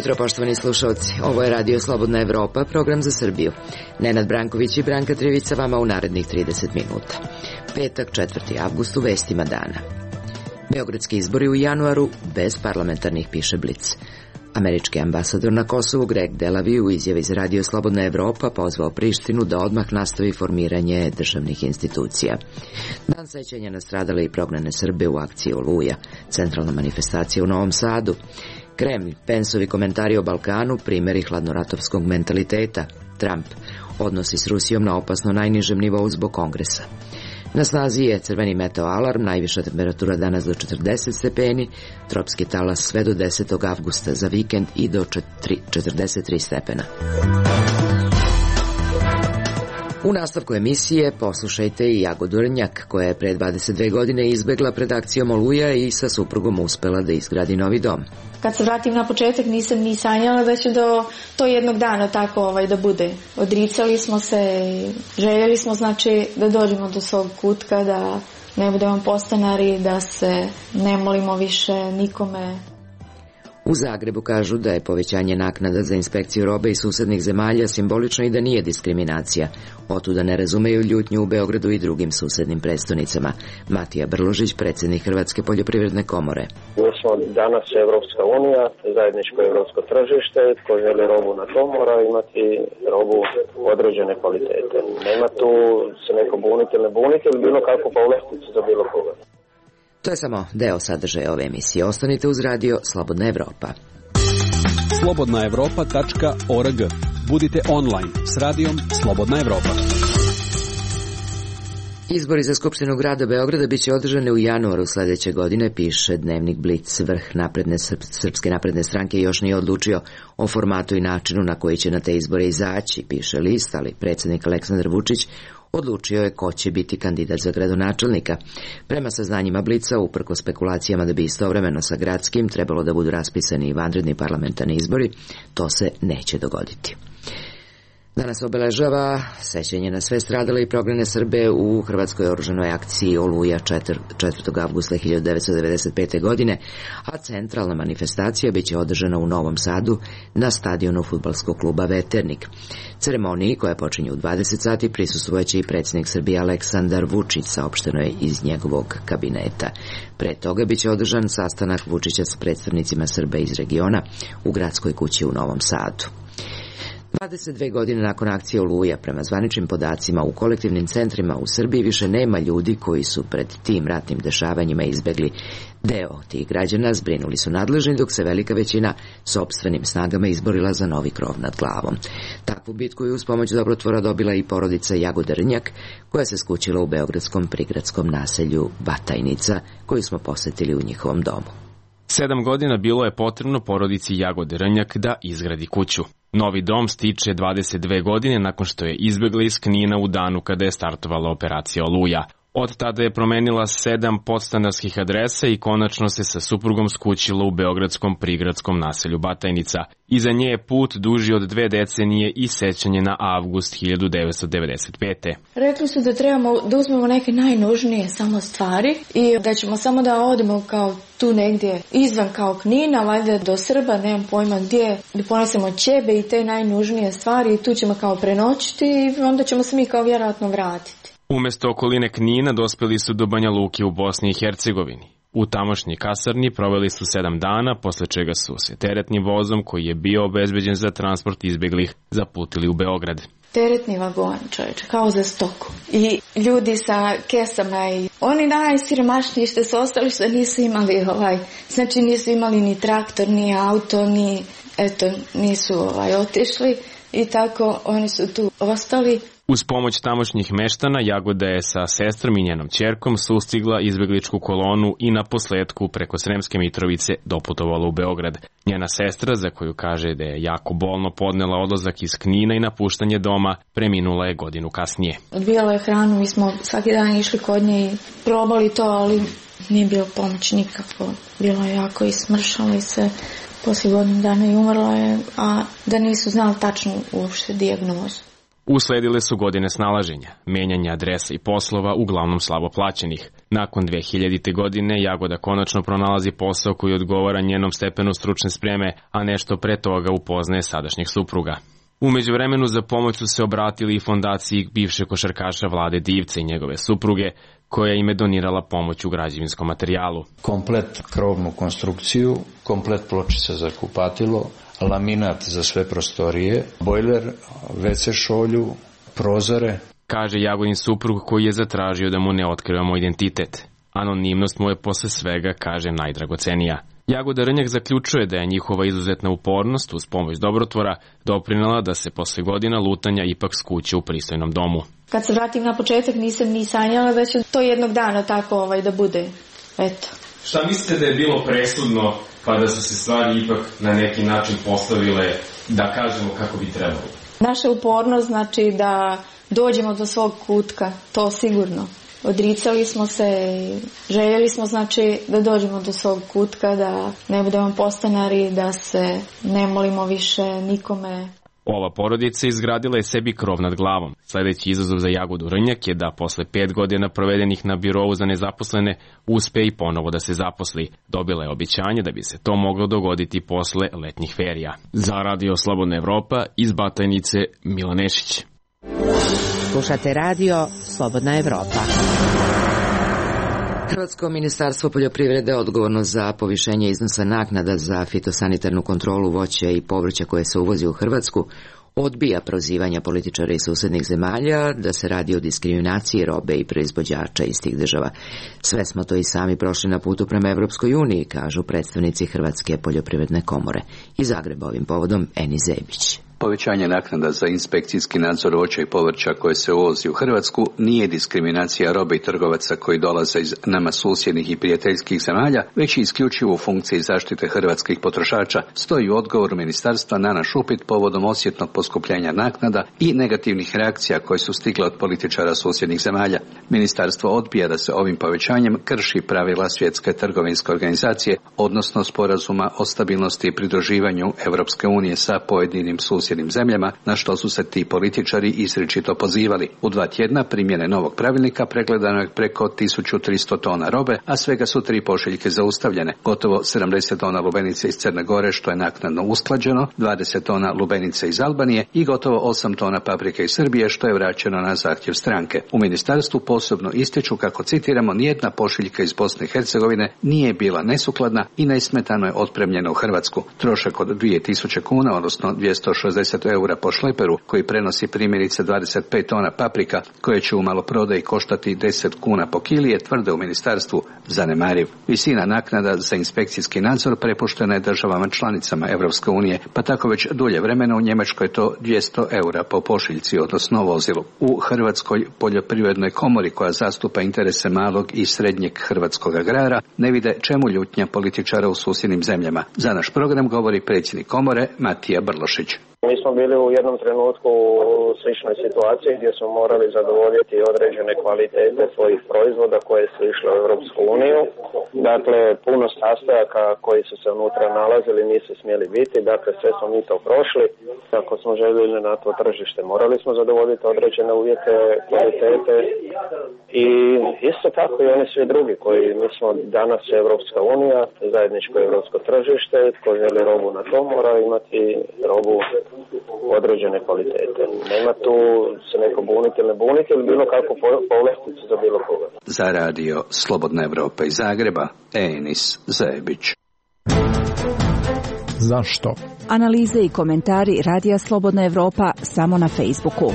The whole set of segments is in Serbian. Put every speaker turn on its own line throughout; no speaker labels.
jutro, poštovani slušalci. Ovo je Radio Slobodna Evropa, program za Srbiju. Nenad Branković i Branka Trivica vama u narednih 30 minuta. Petak, 4. avgust, u vestima dana. Beogradski izbori u januaru bez parlamentarnih, piše Blic. Američki ambasador na Kosovu Greg Delavi u izjavi za Radio Slobodna Evropa pozvao Prištinu da odmah nastavi formiranje državnih institucija. Dan sećanja na stradale i prognane Srbe u akciji Oluja, centralna manifestacija u Novom Sadu. Kremlj, Pensovi komentari o Balkanu, primjeri hladnoratovskog mentaliteta. Trump, odnosi s Rusijom na opasno najnižem nivou zbog Kongresa. Na snazi je crveni meteo alarm, najviša temperatura danas do 40 stepeni, tropski talas sve do 10. avgusta za vikend i do 43 stepena. U nastavku emisije poslušajte i Jagodu Rnjak, koja je pre 22 godine izbegla pred akcijom Oluja i sa suprugom uspela da izgradi novi dom.
Kad se vratim na početak, nisam ni sanjala da će do to jednog dana tako da bude. Odricali smo se, željeli smo da dođemo do svog kutka, da ne budemo podstanari, da se ne molimo više nikome.
U Zagrebu kažu da je povećanje naknada za inspekciju robe iz susednih zemalja simbolično i da nije diskriminacija. Otuda ne razumeju ljutnju u Beogradu i drugim susednim prestonicama. Matija Brložić, predsjednik Hrvatske poljoprivredne komore.
Mi smo danas Evropska unija, zajedničko evropsko tržište, ko želi robu na to mora imati robu određene kvalitete. Nema tu se neko buniti ili ne buniti ili bilo kakvu povlasticu za bilo koga.
To je samo deo sadržaja ove emisije. Ostanite uz Radio Slobodna Evropa.
slobodnaevropa.org. Budite online s radijom Slobodna Evropa.
Izbori za Skupštinu grada Beograda biće održane u januaru sledeće godine, piše dnevnik Blic. Vrh Srpske napredne stranke još nije odlučio o formatu i načinu na koji će na te izbore izaći, piše list, ali predsjednik Aleksandar Vučić odlučio je ko će biti kandidat za gradonačelnika. Prema saznanjima Blica, uprkos spekulacijama da bi istovremeno sa gradskim trebalo da budu raspisani i vanredni parlamentarni izbori, to se neće dogoditi. Danas obeležava sećanje na sve stradale i prognane Srbe u Hrvatskoj oružanoj akciji Oluja 4. avgusta 1995. godine, a centralna manifestacija biće održana u Novom Sadu na stadionu fudbalskog kluba Veternik. Ceremoniji, koja počinje u 20 sati, prisustvojaće i predsjednik Srbije Aleksandar Vučić, saopšteno je iz njegovog kabineta. Pre toga biće održan sastanak Vučića s predstavnicima Srba iz regiona u gradskoj kući u Novom Sadu. 22 godine nakon akcije Oluja, prema zvaničnim podacima, u kolektivnim centrima u Srbiji više nema ljudi koji su pred tim ratnim dešavanjima izbegli. Deo tih građana zbrinuli su nadležni, dok se velika većina sopstvenim snagama izborila za novi krov nad glavom. Takvu bitku je uz pomoć dobrotvora dobila i porodica Jagode Rnjak, koja se skućila u beogradskom prigradskom naselju Batajnica, koju smo posetili u njihovom domu.
7 godina bilo je potrebno porodici Jagode Rnjak da izgradi kuću. Novi dom stiče 22 godine nakon što je izbegla iz Knina u danu kada je startovala operacija Oluja. Od tada je promenila 7 podstanarskih adresa i konačno se sa suprugom skućila u beogradskom prigradskom naselju Batajnica. Iza nje je put duži od 2 decenije i sećanje na avgust 1995.
Rekli su da trebamo da uzmemo neke najnužnije samo stvari i da ćemo samo da odemo kao tu negdje izvan kao Knina, valjda do Srba, nemam pojma gdje, da ponesemo ćebe i te najnužnije stvari i tu ćemo kao prenoćiti i onda ćemo se mi kao vjerojatno vratiti.
Umesto okoline Knina dospeli su do Banja Luke u Bosni i Hercegovini. U tamošnjoj kasarni proveli su 7 dana, posle čega su se teretnim vozom, koji je bio obezbeđen za transport izbeglih, zaputili u Beograd.
Teretni vagon, čovječe, kao za stoku. I ljudi sa kesama i oni najsiromašniji što su ostali, što nisu imali znači nisu imali ni traktor, ni auto, ni, nisu otišli i tako oni su tu ostali.
Uz pomoć tamošnjih meštana, Jagoda je sa sestrom i njenom ćerkom sustigla izbegličku kolonu i na posledku preko Sremske Mitrovice doputovala u Beograd. Njena sestra, za koju kaže da je jako bolno podnela odlazak iz Knina i napuštanje doma, preminula je godinu kasnije.
Odbijala je hranu, mi smo svaki dan išli kod nje i probali to, ali nije bilo pomoć nikako. Bilo je jako i smršala se. Poslije godinu dana i umrla je, a da nisu znali tačno uopšte dijagnozu.
Usledile su godine snalaženja, menjanja adresa i poslova, uglavnom slabo plaćenih. Nakon 2000. godine Jagoda konačno pronalazi posao koji odgovara njenom stepenu stručne spreme, a nešto pre toga upoznaje sadašnjeg supruga. U međuvremenu za pomoć su se obratili i fondaciji bivšeg košarkaša Vlade Divca i njegove supruge, koja im je donirala pomoć u građevinskom materijalu.
Komplet krovnu konstrukciju, komplet pločica za kupatilo, laminat za sve prostorije, bojler, WC šolju, prozore.
Kaže Jagodin suprug koji je zatražio da mu ne otkrivamo identitet. Anonimnost mu je posle svega, kaže, najdragocenija. Jagoda Rnjak zaključuje da je njihova izuzetna upornost uz pomoć dobrotvora doprinela da se posle godina lutanja ipak skuće u pristojnom domu.
Kad se vratim na početak nisam ni sanjala da će to jednog dana tako da bude. Eto.
Šta mislite da je bilo presudno pa da su se stvari ipak na neki način postavile, da kažemo, kako bi trebalo?
Naša upornost znači da dođemo do svog kutka, to sigurno. Odricali smo se i željeli smo znači da dođemo do svog kutka, da ne budemo podstanari, da se ne molimo više nikome.
Ova porodica izgradila je sebi krov nad glavom. Sledeći izazov za Jagodu Rnjak je da posle 5 godina provedenih na birovu za nezaposlene uspe i ponovo da se zaposli. Dobila je obećanje da bi se to moglo dogoditi posle letnjih ferija. Za Radio Slobodna Evropa iz Batajnice, Milan Nešić.
Slušate Radio Slobodna Evropa. Hrvatsko ministarstvo poljoprivrede odgovorno za povišenje iznosa naknada za fitosanitarnu kontrolu voća i povrća koje se uvozi u Hrvatsku odbija prozivanja političara iz susednih zemalja da se radi o diskriminaciji robe i proizvođača iz tih država. Sve smo to i sami prošli na putu prema Evropskoj uniji, kažu predstavnici Hrvatske poljoprivredne komore. Iz Zagreba ovim povodom Eni Zebić.
Povećanje naknada za inspekcijski nadzor voća i povrća koje se uvozi u Hrvatsku nije diskriminacija robe i trgovaca koji dolaze iz nama susjednih i prijateljskih zemalja, već i isključivo u funkciji zaštite hrvatskih potrošača, stoji u odgovoru ministarstva na naš upit povodom osjetnog poskupljenja naknada i negativnih reakcija koje su stigle od političara susjednih zemalja. Ministarstvo odbija da se ovim povećanjem krši pravila Svjetske trgovinske organizacije, odnosno sporazuma o stabilnosti i pridruživanju Europske unije sa pojedinim susjednim zemljama, na što su se ti političari izričito pozivali. U 2 tjedna primjene novog pravilnika pregledano je preko 1300 tona robe, a svega su 3 pošiljke zaustavljene. Gotovo 70 tona lubenice iz Crne Gore, što je naknadno usklađeno, 20 tona lubenice iz Albanije i gotovo 8 tona paprike iz Srbije, što je vraćeno na zahtjev stranke. U ministarstvu posebno ističu kako, citiramo, nijedna pošiljka iz Bosne i Hercegovine nije bila nesukladna i nesmetano je otpremljena u Hrvatsku. Trošak od 2000 kuna, odnosno 260 eura po šleperu, koji prenosi primjerice 25 tona paprika, koje će u maloprodaji koštati 10 kuna po kili, je, tvrde u ministarstvu, zanemariv. Visina naknada za inspekcijski nadzor prepuštena je državama članicama Europske unije, pa tako već dulje vremena u Njemačkoj je to 200 eura po pošiljci, odnosno vozilu. U Hrvatskoj poljoprivrednoj komori, koja zastupa interese malog i srednjeg hrvatskog agrara, ne vide čemu ljutnja političara u susjednim zemljama. Za naš program govori predsjednik komore Matija Brlošić.
Mi smo bili u jednom trenutku u sličnoj situaciji gdje smo morali zadovoljiti određene kvalitete svojih proizvoda koje su išle u Europsku uniju. Dakle, puno sastojaka koji su se unutra nalazili nisu smjeli biti, dakle sve smo mi to prošli. Ako smo željeli na to tržište, morali smo zadovoljiti određene uvjete kvalitete i isto tako i oni svi drugi koji, mi smo danas Europska unija, zajedničko europsko tržište, koji želi robu na to mora imati robu određene kvalitete. Nema tu se neko buniti ili ne buniti ili bilo kakvu povlasticu za bilo koga.
Za Radio Slobodna Evropa iz Zagreba, Enis Zebić.
Zašto?
Analize i komentari Radija Slobodna Evropa samo na Facebooku.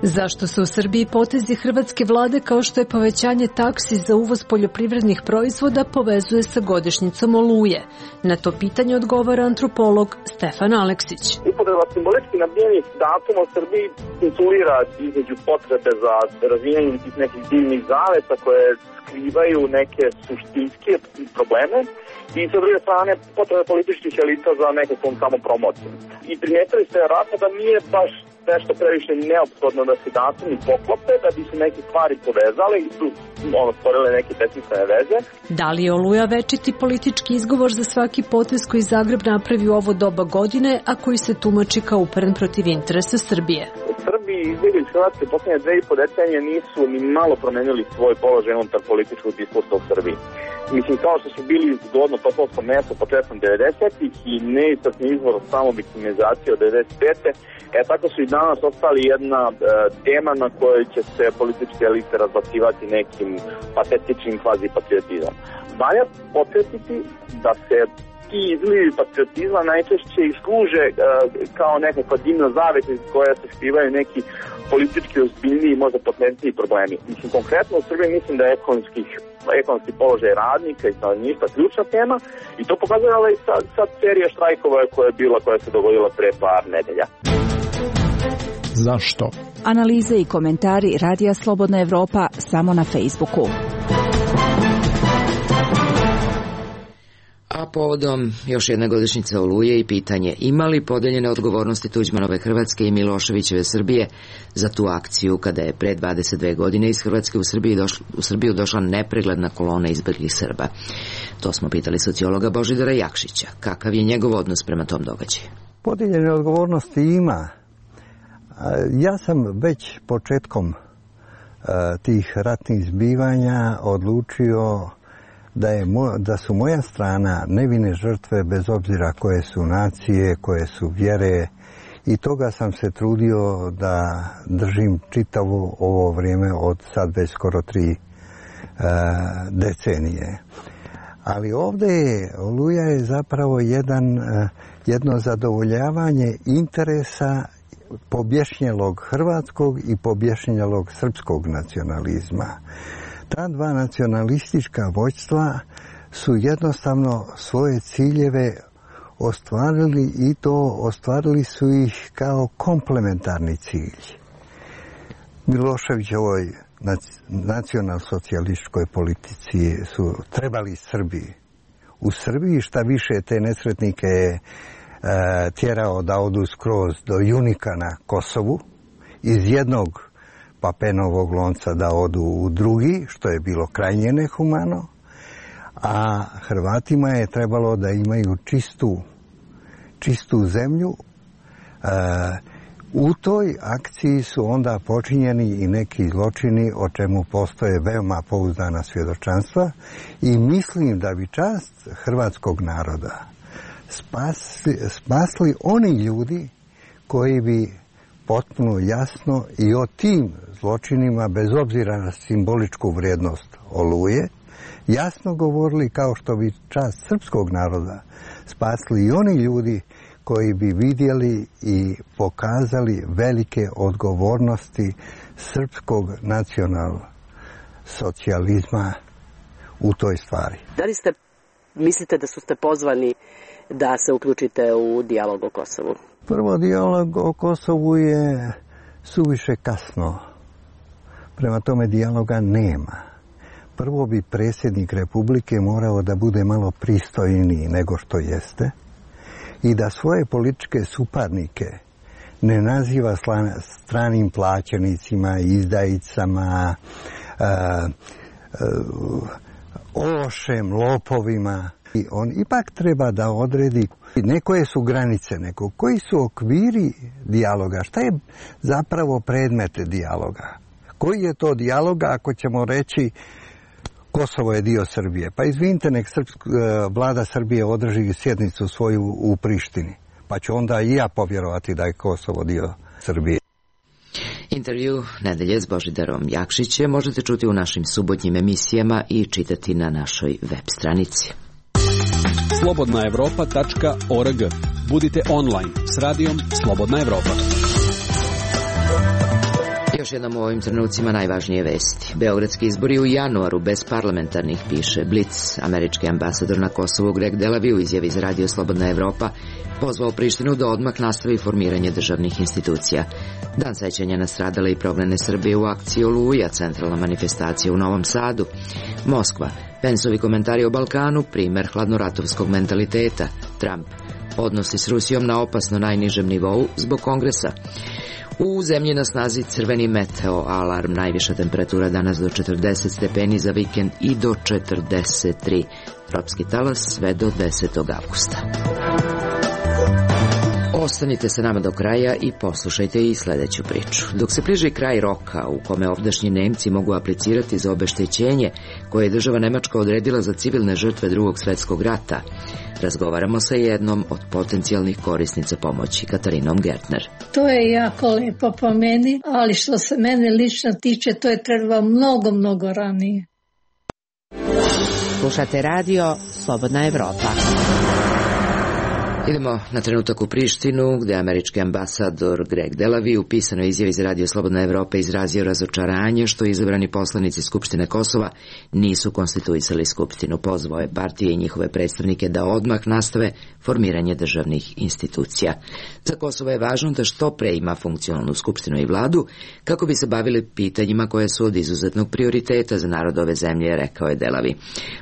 Zašto se u Srbiji potezi hrvatske vlade kao što je povećanje taksi za uvoz poljoprivrednih proizvoda povezuje sa godišnjicom Oluje? Na to pitanje odgovara antropolog Stefan Aleksić.
Upotreba simbolički nabijenih datuma u Srbiji insulira između potrebe za razvijenjem nekih divnih zaveta koje skrivaju neke suštinske probleme i sa druge strane potrebe političkih elita za nekakvom samopromocijom. I primijetili ste vjerojatno da nije baš nešto previše neophodno da se datumi poklope, da bi se neke stvari povezale i su stvorile neke besmislene veze.
Da li je Oluja večiti politički izgovor za svaki potez koji Zagreb napravi u ovo doba godine, a koji se tumači kao uperen protiv interesa Srbije?
Srbi izbjegli iz Hrvatske posljednje 2,5 decenije nisu ni malo promenili svoj položaj unutar političkog diskursa u Srbiji. Mislim, kao što su bili zgodno topovsko mesto početkom 90-ih i neistasni izvor samo viktimizacije od 95. Tako su i danas ostali jedna tema na kojoj će se političke elite razbacivati nekim patetičnim kvazi-patriotizmom. Valja podsjetiti da se ti izlivi patriotizma najčešće i služe kao nekakva dimna zavesa iz koja se skrivaju neki politički ozbiljniji i možda potentniji problemi. Mislim, konkretno u Srbiji mislim da je ekonomski položaj radnika i stanovništva ključna tema i to pokazuje sad serija štrajkova koja se dogodila pre par nedelja.
Zašto?
Analize i komentari Radija Slobodna Evropa samo na Facebooku.
A povodom još jedne godišnjice Oluje i pitanje ima li podeljene odgovornosti Tuđmanove Hrvatske i Miloševićeve Srbije za tu akciju kada je pre 22 godine iz Hrvatske u Srbiju došla nepregledna kolona izbeglih Srba. To smo pitali sociologa Božidara Jakšića. Kakav je njegov odnos prema tom događaju?
Podeljene odgovornosti ima. Ja sam već početkom tih ratnih zbivanja odlučio da su moja strana nevine žrtve bez obzira koje su nacije, koje su vjere i toga sam se trudio da držim čitavo ovo vrijeme od sad već skoro 3 decenije. Ali ovdje Oluja je zapravo jedno zadovoljavanje interesa pobješnjelog hrvatskog i pobješnjelog srpskog nacionalizma. Ta dva nacionalistička vođstva su jednostavno svoje ciljeve ostvarili i to ostvarili su ih kao komplementarni cilj. Miloševićevoj nacionalsocijalističkoj politici su trebali Srbi. U Srbiji šta više te nesretnike je tjerao da odu skroz do Junika na Kosovu, iz jednog papenovog lonca da odu u drugi, što je bilo krajnje nehumano, a Hrvatima je trebalo da imaju čistu zemlju. U toj akciji su onda počinjeni i neki zločini o čemu postoje veoma pouzdana svjedočanstva i mislim da bi čast hrvatskog naroda spasli oni ljudi koji bi potpuno jasno i o tim zločinima, bez obzira na simboličku vrijednost Oluje, jasno govorili kao što bi čast srpskog naroda spasli i oni ljudi koji bi vidjeli i pokazali velike odgovornosti srpskog nacionalsocijalizma u toj stvari.
Da li mislite da ste pozvani da se uključite u dijalog o Kosovu?
Prvo, dijalog o Kosovu je suviše kasno. Prema tome dijaloga nema. Prvo bi predsjednik Republike morao da bude malo pristojniji nego što jeste i da svoje političke suparnike ne naziva stranim plaćenicima, izdajicama, ološem, lopovima. I on ipak treba da odredi koje su granice, koji su okviri dijaloga, šta je zapravo predmet dijaloga. Koji je to dijaloga ako ćemo reći Kosovo je dio Srbije? Pa izvinite, nek vlada Srbije održi sjednicu svoju u Prištini, pa ću onda i ja povjerovati da je Kosovo dio Srbije.
Intervju nedelje s Božidarom Jakšićem možete čuti u našim subotnjim emisijama i čitati na našoj web stranici.
slobodnaevropa.org. Budite online s radijom Slobodna Evropa.
Još jednom u ovim trenucima najvažnije vesti. Beogradski izbori u januaru bez parlamentarnih, piše Blic. Američki ambasador na Kosovu Greg Delavi u izjavi za radio Slobodna Evropa pozvao Prištinu da odmah nastavi formiranje državnih institucija. Dan sećanja na stradale i prognane Srbije u akciji Oluja, centralna manifestacija u Novom Sadu. Moskva. Pensovi komentari o Balkanu, primer hladnoratovskog mentaliteta. Trump. Odnosi s Rusijom na opasno najnižem nivou zbog kongresa. U zemlji na snazi crveni meteo alarm, najviša temperatura danas do 40 stepeni, za vikend i do 43. Tropski talas sve do 10. avgusta. Ostanite sa nama do kraja i poslušajte i sledeću priču. Dok se bliži kraj roka u kome ovdašnji Nemci mogu aplicirati za obeštećenje koje je država Nemačka odredila za civilne žrtve Drugog svetskog rata, razgovaramo sa jednom od potencijalnih korisnica pomoći, Katarinom Gertner.
To je jako lepo po meni, ali što se mene lično tiče, to je trebalo mnogo ranije.
Slušate radio Slobodna Evropa.
Idemo na trenutak u Prištinu, gde američki ambasador Greg Delavi u pisanoj izjavi za radio Slobodna Evropa izrazio razočaranje što izabrani poslanici Skupštine Kosova nisu konstituisali Skupštinu. Pozvao je partije i njihove predstavnike da odmah nastave formiranje državnih institucija. Za Kosovo je važno da što pre ima funkcionalnu Skupštinu i vladu kako bi se bavili pitanjima koje su od izuzetnog prioriteta za narod ove zemlje, rekao je Delavi.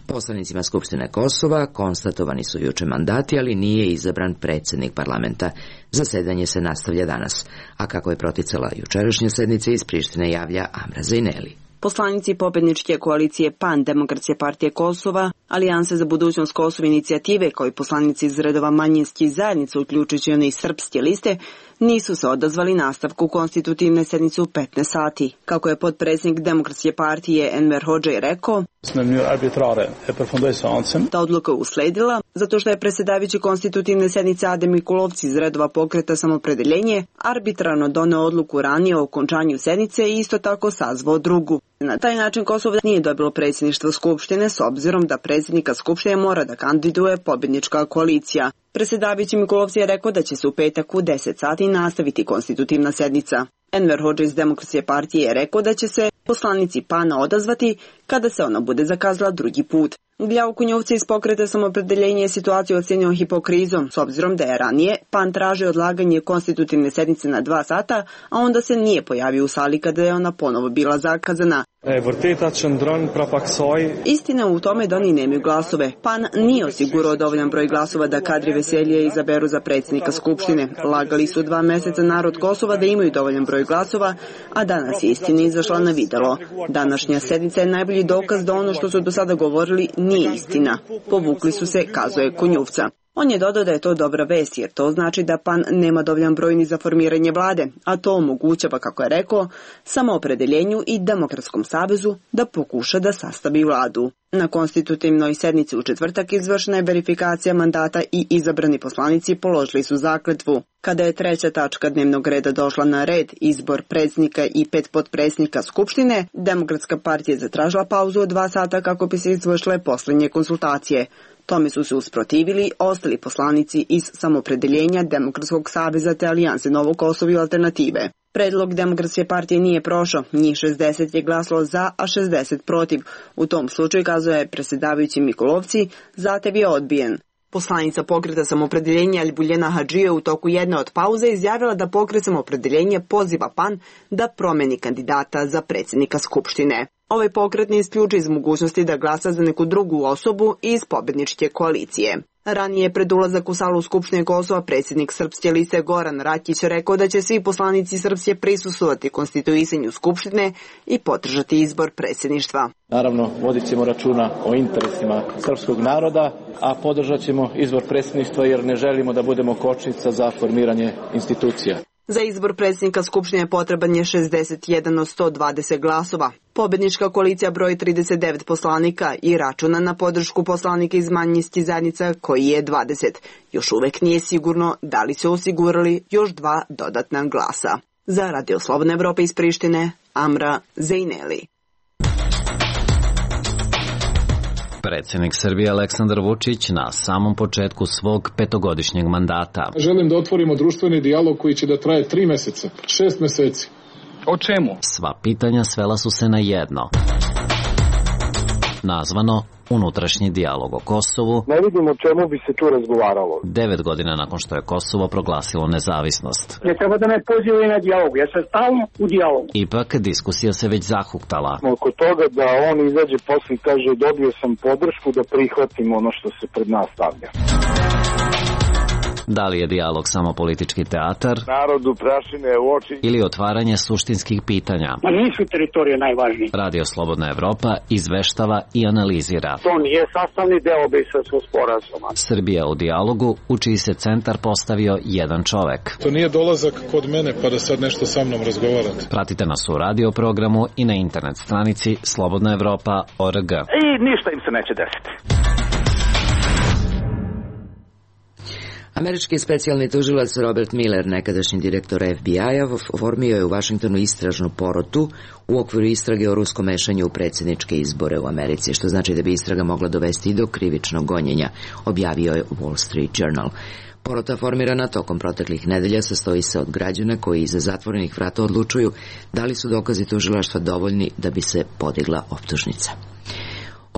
Poslanicima Skupštine Kosova konstatovani su juče mandati, ali nije izabran predsjednik parlamenta. Zasedanje se nastavlja danas. A kako je proticala jučerašnja sednica, iz Prištine javlja Amra Zejneli.
Poslanici pobedničke koalicije PAN, Demokratske partije Kosova, Alijanse za budućnost Kosova inicijative, kao i poslanici iz redova manjinskih zajednica, uključujući one iz srpske liste, nisu se odazvali nastavku konstitutivne sednice u 15 sati. Kako je potpredsjednik Demokratske partije Enver Hodžaj rekao, ta odluka je usledila zato što je predsjedavajući konstitutivne sednice Adem Mikulovci iz redova Pokreta Samopredeljenje arbitrarno doneo odluku ranije o okončanju sednice i isto tako sazvao drugu. Na taj način Kosovo nije dobilo predsjedništvo Skupštine s obzirom da predsjednika Skupštine mora da kandiduje pobjednička koalicija. Predsjedavajući Mikulovci je rekao da će se u petak u 10 sati nastaviti konstitutivna sednica. Enver Hodžaj iz Demokratske partije je rekao da će se poslanici PAN-a odazvati kada se ona bude zakazala drugi put. Gljav Kunjovca iz Pokreta Samopredeljenje je situaciju ocenio hipokrizom, s obzirom da je ranije PAN tražio odlaganje konstitutivne sednice na 2 sata, a onda se nije pojavio u sali kada je ona ponovo bila zakazana. Istina u tome da oni nemaju glasove. PAN nije osigurao dovoljan broj glasova da Kadri Veselije izaberu za predsjednika Skupštine. Lagali su 2 meseca narod Kosova da imaju dovoljan broj glasova, a danas je istina izašla na videlo. Današnja sednica je najbolji dokaz da ono što su do sada govorili nije istina. Povukli su se, kazuje Kunjuvca. On je dodao da je to dobra vest, jer to znači da PAN nema dovoljan broj ni za formiranje vlade, a to omogućava, kako je rekao, Samoopredeljenju i Demokratskom savezu da pokuša da sastavi vladu. Na konstitutivnoj sednici u četvrtak izvršena je verifikacija mandata i izabrani poslanici položili su zakletvu. Kada je 3. tačka dnevnog reda došla na red, izbor predsjednika i 5 potpredsjednika Skupštine, Demokratska partija je zatražila pauzu od 2 sata kako bi se izvršile posljednje konsultacije. Tome su se usprotivili ostali poslanici iz Samoopredeljenja, Demokratskog saveza te Alijanse Novo Kosovo i Alternative. Predlog Demokratske partije nije prošao, njih 60 je glasalo za, a 60 protiv. U tom slučaju, kazuje predsjedavajući Mikulovci, zahtev je odbijen. Poslanica Pokreta Samopredeljenja Albuljena Hadžija u toku jedne od pauze izjavila da Pokret Samopredeljenja poziva PAN da promeni kandidata za predsjednika Skupštine. Ovaj pokret ne isključuje iz mogućnosti da glasa za neku drugu osobu iz pobedničke koalicije. Ranije pred ulazak u salu Skupštine Kosova predsjednik Srpske liste Goran Rakić rekao da će svi poslanici Srpske prisustvovati konstituisanju Skupštine i podržati izbor predsjedništva.
Naravno, vodit ćemo računa o interesima srpskog naroda, a podržat ćemo izbor predsjedništva jer ne želimo da budemo kočnica za formiranje institucija.
Za izbor predsjednika Skupštine potreban je 61 od 120 glasova. Pobednička koalicija broji 39 poslanika i računa na podršku poslanika iz manjinskih zajednica koji je 20. Još uvek nije sigurno da li se osigurali još 2 dodatna glasa. Za Radio Slobodna Evropa iz Prištine, Amra Zejneli.
Predsjednik Srbije Aleksandar Vučić na samom početku svog 5-godišnjeg mandata.
Želim da otvorimo društveni dijalog koji će da traje 3 meseca, 6 meseci.
O čemu?
Sva pitanja svela su se na jedno. Nazvano unutrašnji dijalog o Kosovu.
Ne vidim o čemu bi se tu razgovaralo.
9 godina nakon što je Kosovo proglasilo nezavisnost.
Ne treba da me pozivaju na dijalog, ja sam stalno u dijalogu.
Ipak diskusija se već zahuktala.
Oko toga da on izađe posle i kaže dobio sam podršku da prihvatim ono što se pred nas stavlja.
Da li je dijalog samo politički teatar?
Narodu prašine u oči.
Ili otvaranje suštinskih pitanja?
Ma nisu teritorije najvažnije.
Radio Slobodna Evropa izveštava i analizira.
To nije sastavni deo Briselskog sporazuma.
Srbija u dijalogu, u čiji se centar postavio jedan čovek.
To nije dolazak kod mene pa da sad nešto sa mnom razgovarate.
Pratite nas u radio programu i na internet stranici slobodnaevropa.org.
I ništa im se neće desiti.
Američki specijalni tužilac Robert Mueller, nekadašnji direktor FBI-a, oformio je u Vašingtonu istražnu porotu u okviru istrage o ruskom mešanju u predsjedničke izbore u Americi, što znači da bi istraga mogla dovesti i do krivičnog gonjenja, objavio je Wall Street Journal. Porota formirana tokom proteklih nedelja sastoji se od građana koji iza zatvorenih vrata odlučuju da li su dokazi tužilaštva dovoljni da bi se podigla optužnica.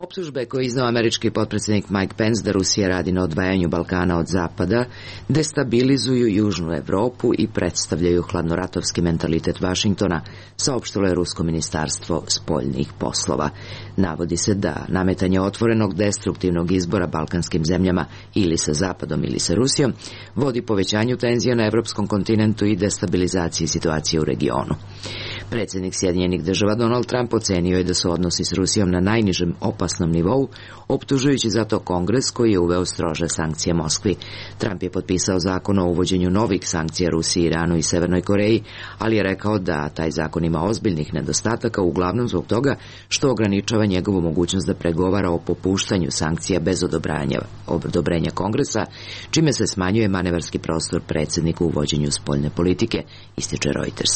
Optužbe koje je iznao američki potpredsjednik Mike Pence da Rusija radi na odvajanju Balkana od Zapada destabilizuju Južnu Evropu i predstavljaju hladnoratovski mentalitet Vašingtona, saopštilo je Rusko ministarstvo spoljnih poslova. Navodi se da nametanje otvorenog destruktivnog izbora balkanskim zemljama ili sa Zapadom ili sa Rusijom vodi povećanju tenzija na evropskom kontinentu i destabilizaciji situacije u regionu. Predsjednik Sjedinjenih Država Donald Trump ocenio je da su odnosi s Rusijom na najnižem opasnom nivou, optužujući zato Kongres koji je uveo strože sankcije Moskvi. Trump je potpisao zakon o uvođenju novih sankcija Rusiji, Iranu i Severnoj Koreji, ali je rekao da taj zakon ima ozbiljnih nedostataka, uglavnom zbog toga što ograničava njegovu mogućnost da pregovara o popuštanju sankcija bez odobrenja Kongresa, čime se smanjuje manevarski prostor predsjedniku u vođenju spoljne politike, ističe Reuters.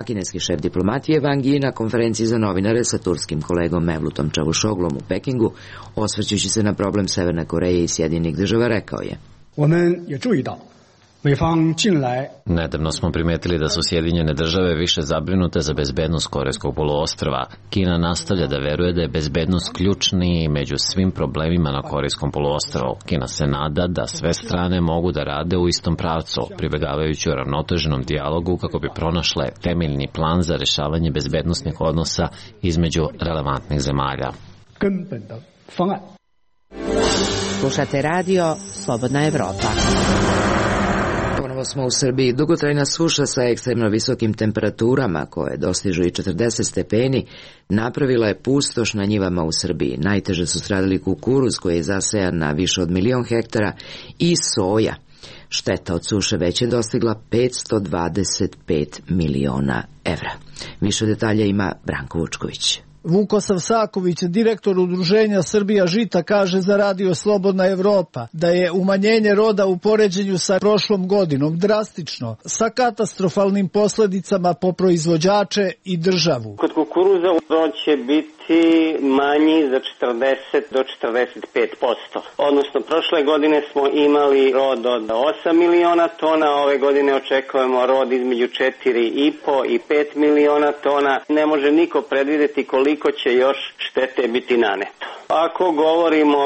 A kineski šef diplomatije Wang Yi na konferenciji za novinare sa turskim kolegom Mevlutom Čavušoglom u Pekingu, osvrćući se na problem Severne Koreje i Sjedinjenih Država, rekao je:
Nedavno smo primetili da su Sjedinjene Države više zabrinute za bezbednost Korejskog poluostrva. Kina nastavlja da veruje da je bezbednost ključni među svim problemima na Korejskom poluostrvu. Kina se nada da sve strane mogu da rade u istom pravcu, pribegavajući uravnoteženom dijalogu kako bi pronašle temeljni plan za rešavanje bezbednosnih odnosa između relevantnih zemalja.
Slušate radio Slobodna Evropa.
Ponovo smo u Srbiji. Dugotrajna suša sa ekstremno visokim temperaturama, koje dostižu i 40 stepeni, napravila je pustoš na njivama u Srbiji. Najteže su stradali kukuruz koji je zasejan na više od 1.000.000 hektara i soja. Šteta od suše već je dostigla 525 miliona evra. Više detalja ima Branko Vučković.
Vukosav Saković, direktor udruženja Srbija žita, kaže za radio Slobodna Evropa da je umanjenje roda u poređenju sa prošlom godinom drastično, sa katastrofalnim posledicama po proizvođače i državu.
Kod kukuruza rod će biti manji za 40 do 45%. Odnosno, prošle godine smo imali rod od 8 miliona tona, ove godine očekujemo rod između 4,5 i 5 miliona tona. Ne može niko predvideti koliko će još štete biti naneto. Ako govorimo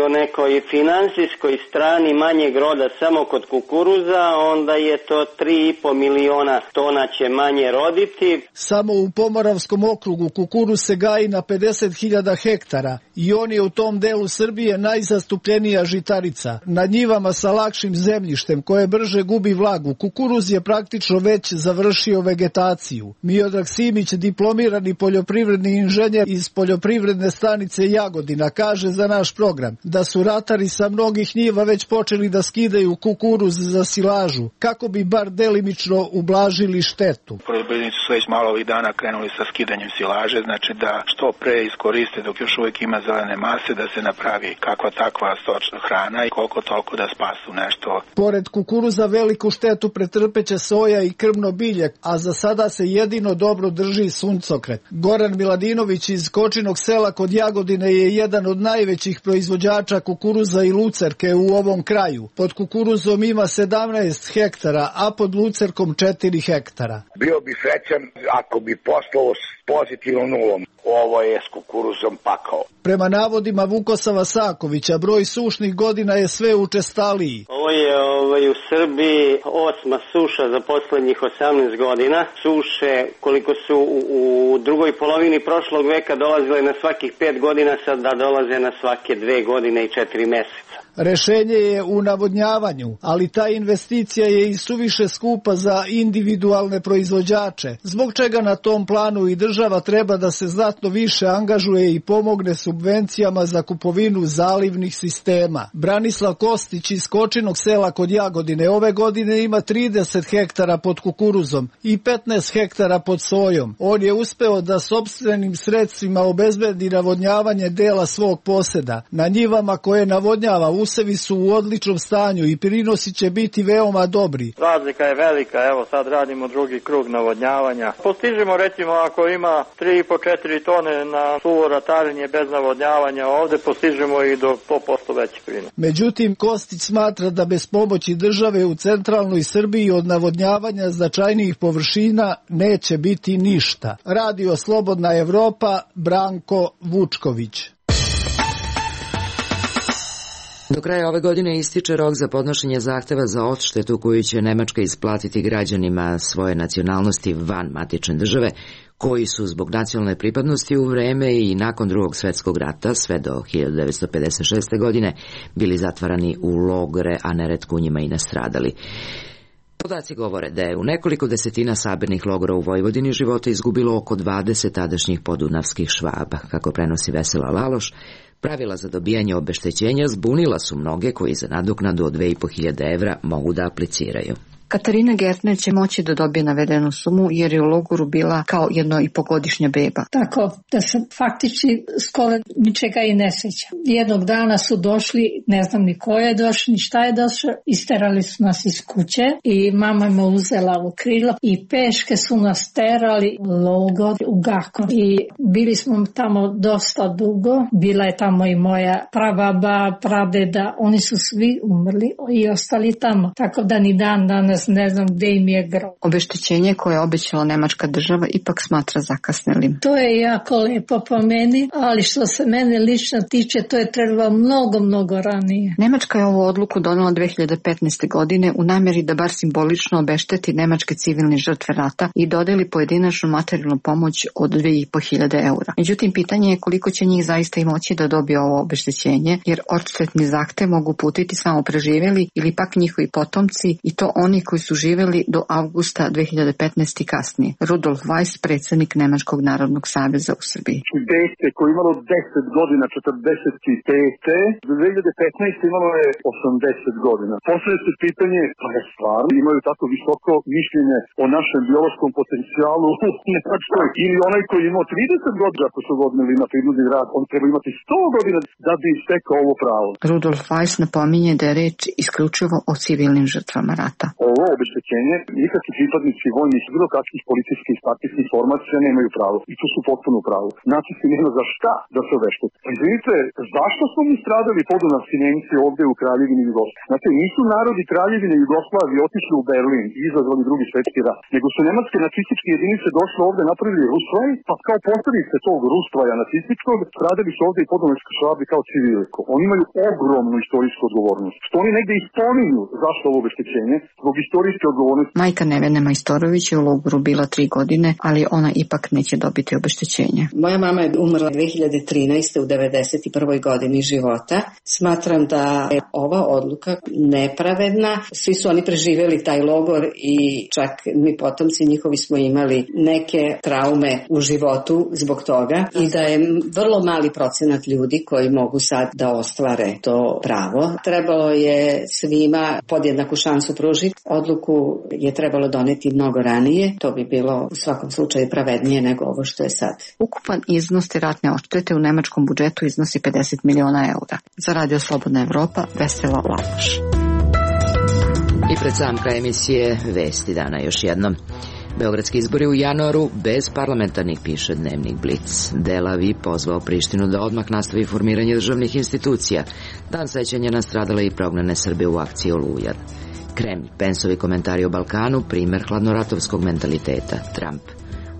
o nekoj finansijskoj strani manjeg roda samo kod kukuruza, onda je to 3,5 miliona tona će manje roditi.
Samo u Pomoravskom okrugu kukuruz se gaji na 50.000 hektara i on je u tom delu Srbije najzastupljenija žitarica. Na njivama sa lakšim zemljištem koje brže gubi vlagu, kukuruz je praktično već završio vegetaciju. Miodrag Simić, diplomirani poljoprivredni inženjer iz poljoprivredne stanice Jagodina, kaže za naš program da su ratari sa mnogih njiva već počeli da skidaju kukuruz za silažu, kako bi bar delimično ublažili štetu.
Poljoprivrednici su već malo ovih dana krenuli sa skidanjem silaže, znači da što pre iskoriste dok još uvijek ima zelene mase, da se napravi kakva takva stočna hrana i koliko toliko da spasu nešto.
Pored kukuruza veliku štetu pretrpeće soja i krmno bilje, a za sada se jedino dobro drži suncokret. Goran Miladinović iz Kočinog sela kod Jagodine je jedan od najvećih proizvođača kukuruza i lucerke u ovom kraju. Pod kukuruzom ima 17 hektara, a pod lucerkom 4 hektara.
Bio bi srećan ako bi poslao s pozitivnom nulom.
ovo je s kukuruzom pakao.
Prema navodima Vukosava Sakovića, broj sušnih godina je sve učestaliji.
Ovo je u Srbiji 8. suša za poslednjih 18 godina. Suše koliko su u drugoj polovini prošlog veka dolazile na svakih 5 godina, sada dolaze na svake 2 godine i 4 meseca.
Rešenje je u navodnjavanju, ali ta investicija je i suviše skupa za individualne proizvođače, zbog čega na tom planu i država treba da se znatno više angažuje i pomogne subvencijama za kupovinu zalivnih sistema. Branislav Kostić iz Kočinog sela kod Jagodine ove godine ima 30 hektara pod kukuruzom i 15 hektara pod sojom. On je uspeo da sopstvenim sredstvima obezbedi navodnjavanje dela svog poseda. Na njivama koje navodnjava usevi su u odličnom stanju i prinosi će biti veoma dobri.
Razlika je velika, evo sad radimo drugi krug navodnjavanja. Postižemo recimo ako ima 3,5-4 tone na suvo ratarenje bez navodnjavanja, ovde postižemo i do 100% veći prinos.
Međutim, Kostić smatra da bez pomoći države u centralnoj Srbiji od navodnjavanja značajnijih površina neće biti ništa. Radio Slobodna Evropa, Branko Vučković.
Do kraja ove godine ističe rok za podnošenje zahteva za odštetu koju će Nemačka isplatiti građanima svoje nacionalnosti van matične države, koji su zbog nacionalne pripadnosti u vreme i nakon Drugog svjetskog rata, sve do 1956. godine, bili zatvarani u logore, a neretko u njima i nastradali. Podaci govore da je u nekoliko desetina sabirnih logora u Vojvodini života izgubilo oko 20 tadašnjih podunavskih Švaba. Kako prenosi Vesela Laloš, pravila za dobijanje obeštećenja zbunila su mnoge koji za nadoknadu od 2.500 evra mogu da apliciraju.
Katarina Gertner će moći da dobije navedenu sumu jer je u logoru bila kao 1,5-godišnja beba.
Tako da se faktički skoro ničega i ne sjeća. Jednog dana su došli, ne znam ni ko je došao, ni šta je došao, isterali su nas iz kuće i mama me uzela u krilo i peške su nas terali u logor u Gakor. I bili smo tamo dosta dugo, bila je tamo i moja prababa, pradeda, oni su svi umrli i ostali tamo. Tako da ni dan danas ne znam gde im je grob.
Obeštećenje koje je obećala nemačka država ipak smatra zakasnelim.
To je jako lepo po meni, ali što se mene lično tiče, to je trebalo mnogo ranije.
Nemačka je ovu odluku donela 2015. godine u namjeri da bar simbolično obešteti nemačke civilne žrtve rata i dodeli pojedinačnu materijalnu pomoć od 2.500 eura. Međutim, pitanje je koliko će njih zaista i moći da dobije ovo obeštećenje, jer odštetni zahtev mogu putiti samo preživjeli ili pak njihovi potomci i to oni koji su živjeli do avgusta 2015. i kasnije. Rudolf Weiss, predsjednik Nemačkog narodnog saveza u Srbiji.
Dete koje imalo 10 godina, 45. Do 2015. imalo je 80 godina. Poslije se pitanje, pa je stvarno imaju tako visoko mišljenje o našem biološkom potencijalu u Nemačkoj, ili onaj koji imao 30 godina, ako su godinili na prinudni rad, on treba imati 100 godina da bi stekao ovo pravo.
Rudolf Weiss napominje da je reč isključivo o civilnim žrtvama rata.
Ovo obeštećenje nikakvi pripadnici vojnih bilo kakvih policijskih i partijskih formacija nemaju pravo. I tu su potpuno u pravu. Nacisti nema za šta da se obeštete. Izvinite, zašto smo mi stradali podunavski Nemci ovdje u Kraljevini Jugoslavije? Znate, nisu narodi Kraljevine Jugoslavije otišli u Berlin i izazvali Drugi svjetski rat, nego su nemačke nacističke jedinice došle ovdje, napravili Rustvaj, pa kao posljedice tog Rustvaja nacističkog stradali su ovdje i podunavski Švabi kao civili. Oni imaju ogromnu istorijsku odgovornost. Što oni negdje ispominju zašto ovo obeštećenje, zbog istorijske odgovornosti.
Majka Nevene Majstorović je u logoru bila 3 godine, ali ona ipak neće dobiti obeštećenje.
Moja mama je umrla 2013. u 91. godini života. Smatram da je ova odluka nepravedna. Svi su oni preživjeli taj logor i čak mi potomci njihovi smo imali neke traume u životu zbog toga i da je vrlo mali procenat ljudi koji mogu sad da ostvare to pravo. Trebalo je svima podjednaku šansu pružiti. Odluku je trebalo doneti mnogo ranije. To bi bilo u svakom slučaju pravednije nego ovo što je sad.
Ukupan iznos te ratne odštete u nemačkom budžetu iznosi 50 miliona eura. Za Radio Slobodna Evropa, Vesela Laloš.
I pred sam kraj emisije Vesti dana još jednom. Beogradski izbori u januaru bez parlamentarnih, piše dnevnik Blic. Delavi pozvao Prištinu da odmah nastavi formiranje državnih institucija. Dan sećanja na stradale i prognane Srbe u akciji Oluja. Kremlj, Pensovi komentari o Balkanu, primer hladnoratovskog mentaliteta. Trump.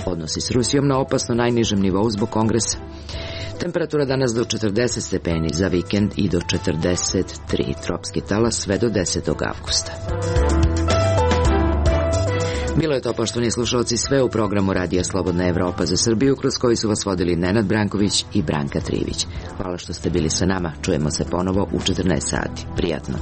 Odnosi s Rusijom na opasno najnižem nivou zbog kongresa. Temperatura danas do 40 stepeni, za vikend i do 43, tropski talas sve do 10. avgusta. Bilo je to, poštovani slušalci, sve u programu Radija Slobodna Evropa za Srbiju, kroz koji su vas vodili Nenad Branković i Branka Trivić. Hvala što ste bili sa nama, čujemo se ponovo u 14 sati. Prijatno.